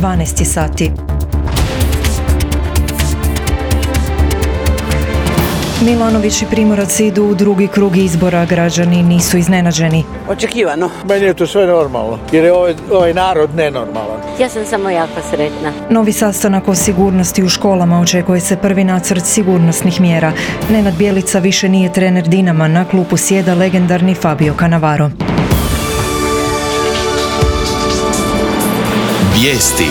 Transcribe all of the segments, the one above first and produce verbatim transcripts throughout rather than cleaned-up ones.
dvanaest sati. Milanović i Primorac idu u drugi krug izbora, građani nisu iznenađeni. Očekivano. Meni je to sve normalno, jer je ovaj, ovaj narod nenormalan. Ja sam samo jako sretna. Novi sastanak o sigurnosti u školama, očekuje se prvi nacrt sigurnosnih mjera. Nenad Bjelica više nije trener Dinama, na klupu sjeda legendarni Fabio Cannavaro. Vijesti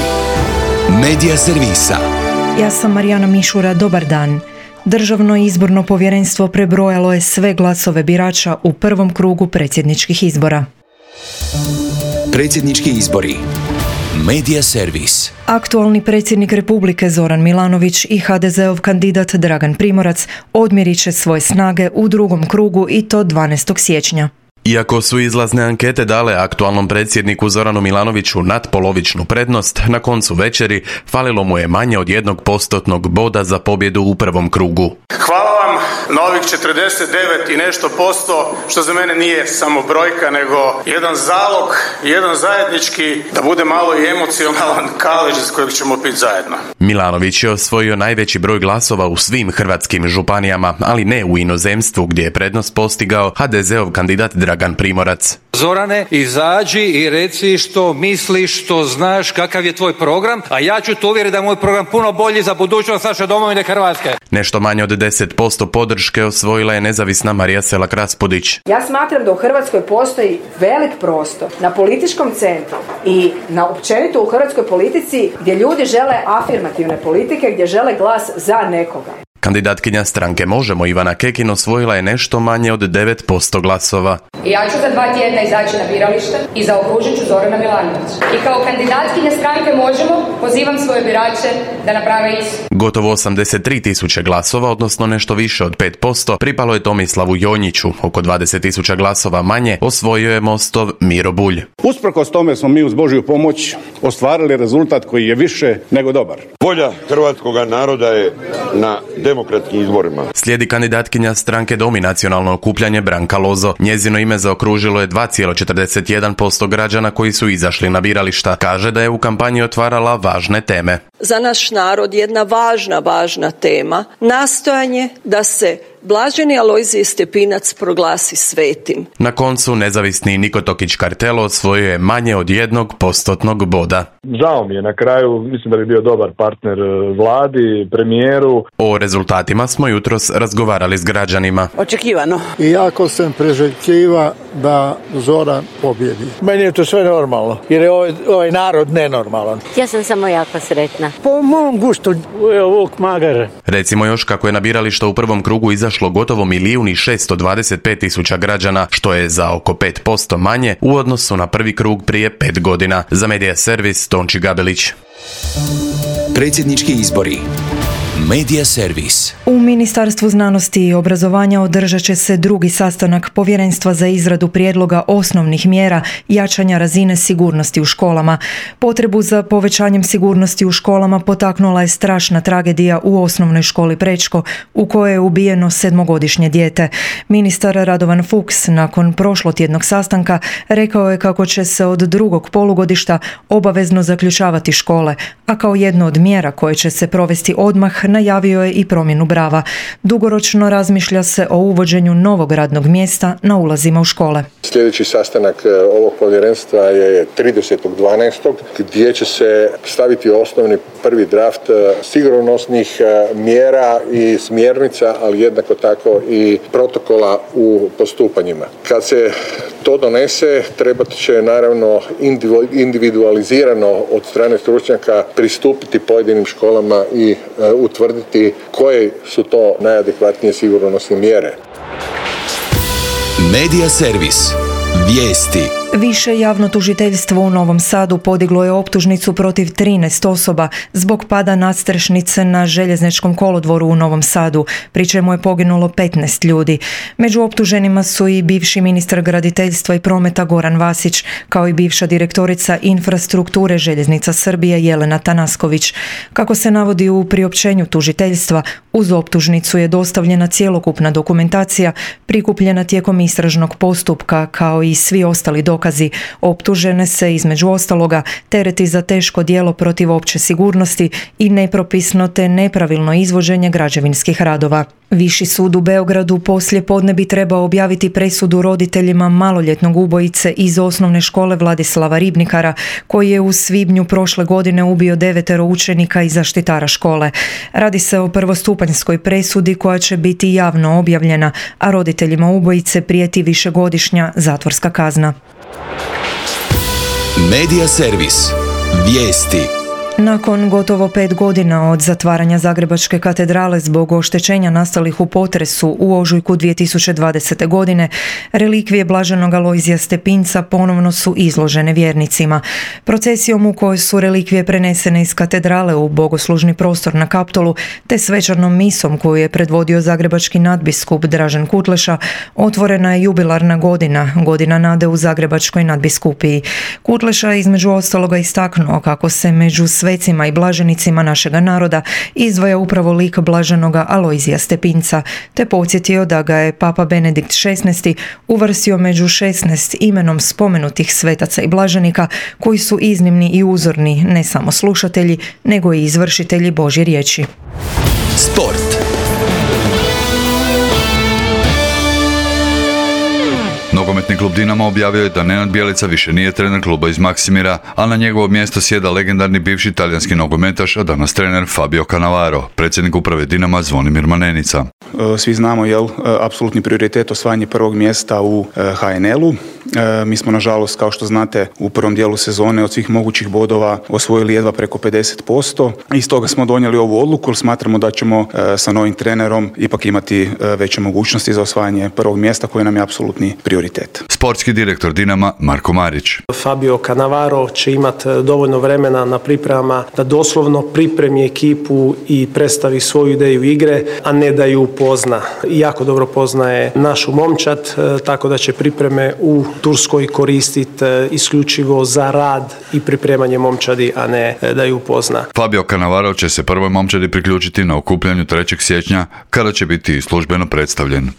Medija servisa. Ja sam Marijana Mišura, dobar dan. Državno izborno povjerenstvo prebrojalo je sve glasove birača u prvom krugu predsjedničkih izbora. Predsjednički izbori. Medija servis. Aktualni predsjednik Republike Zoran Milanović i ha de zeov kandidat Dragan Primorac odmjerit će svoje snage u drugom krugu i to dvanaestog siječnja. Iako su izlazne ankete dale aktualnom predsjedniku Zoranu Milanoviću nadpolovičnu prednost, na koncu večeri falilo mu je manje od jednog postotnog boda za pobjedu u prvom krugu. Hvala vam na ovih četrdeset devet i nešto posto, što za mene nije samo brojka, nego jedan zalog, jedan zajednički, da bude malo i emocionalan kalež iz kojeg ćemo piti zajedno. Milanović je osvojio najveći broj glasova u svim hrvatskim županijama, ali ne u inozemstvu gdje je prednost postigao ha de zeov kandidat Dragan Primorac. Zorane, izađi i reci što misliš, što znaš, kakav je tvoj program, a ja ću te uvjeriti da je moj program puno bolji za budućnost naše domovine Hrvatske. Nešto manje od deset posto podrške osvojila je nezavisna Marija Selak Raspudić. Ja smatram da u Hrvatskoj postoji velik prostor na političkom centru i na općenito u hrvatskoj politici gdje ljudi žele afirmativne politike, gdje žele glas za nekoga. Kandidatkinja stranke Možemo Ivana Kekin osvojila je nešto manje od devet posto glasova. Ja ću za dva tjedna izaći na biralište i zaokružit ću Zorana Milanovića. I kao kandidatkinja stranke Možemo pozivam svoje birače da naprave isto. Gotovo osamdeset tri tisuće glasova, odnosno nešto više od pet posto, pripalo je Tomislavu Jonjiću. Oko dvadeset tisuća glasova manje osvojio je Mostov Miro Bulj. Usprkos tome smo mi uz Božju pomoć ostvarili rezultat koji je više nego dobar. Volja hrvatskog naroda je na demokratskim izborima. Slijedi kandidatkinja stranke Dom i nacionalno okupljanje Branka Lozo. Njezino ime zaokružilo je dva zarez četrdeset jedan posto građana koji su izašli na birališta. Kaže da je u kampanji otvarala važne teme. Za naš narod jedna važna, važna tema, nastojanje da se Blaženi Alojzije Stepinac proglasi svetim. Na koncu nezavisni Niko Tokić Kartelo osvojio je manje od jednog postotnog boda. Žao mi je na kraju, mislim da bi bio dobar partner vladi, premijeru. O rezultatima smo jutros razgovarali s građanima. Očekivano. Iako sam priželjkiva da Zoran pobjedi. Meni je to sve normalno, jer je ovaj, ovaj narod nenormalan. Ja sam samo jako sretna. Po mom guštu, Vuk Magar. Recimo još kako je na birališta u prvom krugu izašlo gotovo milijun i šesto dvadeset pet tisuća građana, što je za oko pet posto manje u odnosu na prvi krug prije pet godina. Za Medija servis Tonči Gabelić. Predsjednički izbori. Medija servis. U Ministarstvu znanosti i obrazovanja održat će se drugi sastanak Povjerenstva za izradu prijedloga osnovnih mjera jačanja razine sigurnosti u školama. Potrebu za povećanjem sigurnosti u školama potaknula je strašna tragedija u osnovnoj školi Prečko, u kojoj je ubijeno sedmogodišnje dijete. Ministar Radovan Fuchs nakon prošlotjednog sastanka rekao je kako će se od drugog polugodišta obavezno zaključavati škole, a kao jedno od mjera koje će se provesti odmah najavio je i promjenu brava. Dugoročno razmišlja se o uvođenju novog radnog mjesta na ulazima u škole. Sljedeći sastanak ovog povjerenstva je tridesetog dvanaestog gdje će se staviti osnovni prvi draft sigurnosnih mjera i smjernica, ali jednako tako i protokola u postupanjima. Kad se to donese, trebat će naravno individualizirano od strane stručnjaka pristupiti pojedinim školama i utvrditi koje su to najadekvatnije sigurnosne mjere. Medija servis. Vijesti. Više javno tužiteljstvo u Novom Sadu podiglo je optužnicu protiv trinaest osoba zbog pada nadstrešnice na željezničkom kolodvoru u Novom Sadu, pri čemu je poginulo petnaest ljudi. Među optuženima su i bivši ministar graditeljstva i prometa Goran Vasić, kao i bivša direktorica infrastrukture Željeznica Srbije Jelena Tanasković. Kako se navodi u priopćenju tužiteljstva, uz optužnicu je dostavljena cjelokupna dokumentacija prikupljena tijekom istražnog postupka, kao i svi ostali dokazi dokazi. Optužene se između ostaloga tereti za teško djelo protiv opće sigurnosti i nepropisno te nepravilno izvođenje građevinskih radova. Viši sud u Beogradu poslije podne bi trebao objaviti presudu roditeljima maloljetnog ubojice iz osnovne škole Vladislava Ribnikara, koji je u svibnju prošle godine ubio devetero učenika i zaštitara škole. Radi se o prvostupanjskoj presudi koja će biti javno objavljena, a roditeljima ubojice prijeti višegodišnja zatvorska kazna. Medija servis. Vijesti. Nakon gotovo pet godina od zatvaranja Zagrebačke katedrale zbog oštećenja nastalih u potresu u ožujku dvije tisuće dvadesete. godine, relikvije blaženog Alojzija Stepinca ponovno su izložene vjernicima. Procesijom u kojoj su relikvije prenesene iz katedrale u bogoslužni prostor na Kaptolu, te svečanom misom koju je predvodio zagrebački nadbiskup Dražen Kutleša, otvorena je jubilarna godina, godina nade u Zagrebačkoj nadbiskupiji. Kutleša je između ostaloga istaknuo kako se među svecima i blaženicima našega naroda izdvaja upravo lik blaženoga Alojzija Stepinca, te podsjetio da ga je Papa Benedikt šesnaesti. uvrstio među šesnaest imenom spomenutih svetaca i blaženika koji su iznimni i uzorni ne samo slušatelji, nego i izvršitelji Božje riječi. Sport. Nogometni klub Dinamo objavio je da Nenad Bjelica više nije trener kluba iz Maksimira, a na njegovo mjesto sjeda legendarni bivši talijanski nogometaš, a danas trener Fabio Cannavaro, predsjednik uprave Dinama Zvonimir Manenica. Svi znamo, jel, apsolutni prioritet osvajanje prvog mjesta u ha en el-u. Mi smo, nažalost, kao što znate, u prvom dijelu sezone od svih mogućih bodova osvojili jedva preko pedeset posto i stoga smo donijeli ovu odluku jer smatramo da ćemo sa novim trenerom ipak imati veće mogućnosti za osvajanje prvog mjesta koji nam je apsolutni prioritet. Sportski direktor Dinama Marko Marić. Fabio Cannavaro će imati dovoljno vremena na pripremama da doslovno pripremi ekipu i predstavi svoju ideju igre, a ne da ju pozna. Jako dobro poznaje našu momčad, tako da će pripreme u Turskoj koristiti isključivo za rad i pripremanje momčadi, a ne da ju pozna. Fabio Cannavaro će se prvoj momčadi priključiti na okupljanju trećeg siječnja kada će biti službeno predstavljen.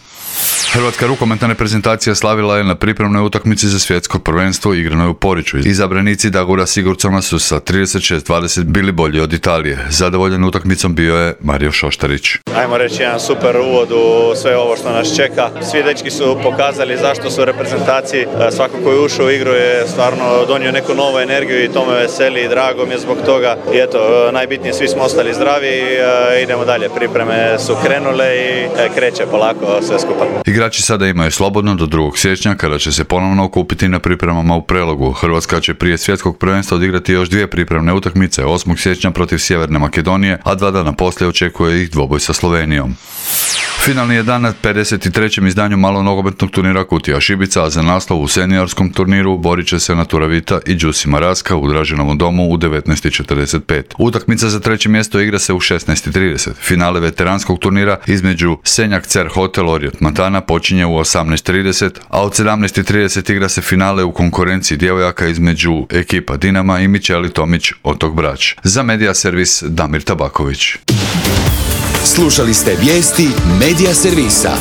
Hrvatska rukometna reprezentacija slavila je na pripremnoj utakmici za svjetsko prvenstvo igranoj u Poriću. Izabranici Dagura Sigurdsona su sa trideset šest dvadeset bili bolji od Italije. Zadovoljan utakmicom bio je Mario Šoštarić. Ajmo reći jedan super uvod u sve ovo što nas čeka. Svi dečki su pokazali zašto su u reprezentaciji. Svako koji je ušao u igru je stvarno donio neku novu energiju i to me veseli i drago mi je zbog toga. I eto, najbitnije, svi smo ostali zdravi i idemo dalje. Pripreme su krenule i kreće polako sve skupa. Igrači sada imaju slobodno do drugog siječnja kada će se ponovno okupiti na pripremama u Prelogu. Hrvatska će prije svjetskog prvenstva odigrati još dvije pripremne utakmice, osmog siječnja protiv Sjeverne Makedonije, a dva dana poslije očekuje ih dvoboj sa Slovenijom. Finalni je dan na pedeset trećem izdanju malonogometnog turnira Kutija Šibica, a za naslov u seniorskom turniru borit će se Natura Vita i Đusi Maraska u Draženovom domu u devetnaest i četrdeset pet. Utakmica za treće mjesto igra se u šesnaest i trideset. Finale veteranskog turnira između Senjak Cer Hotel Orjot Matana počinje u osamnaest i trideset, a od sedamnaest i trideset igra se finale u konkurenciji djevojaka između ekipa Dinama i Mičeli Tomić Otok Brač. Za Medija servis Damir Tabaković. Slušali ste vijesti Medija servisa.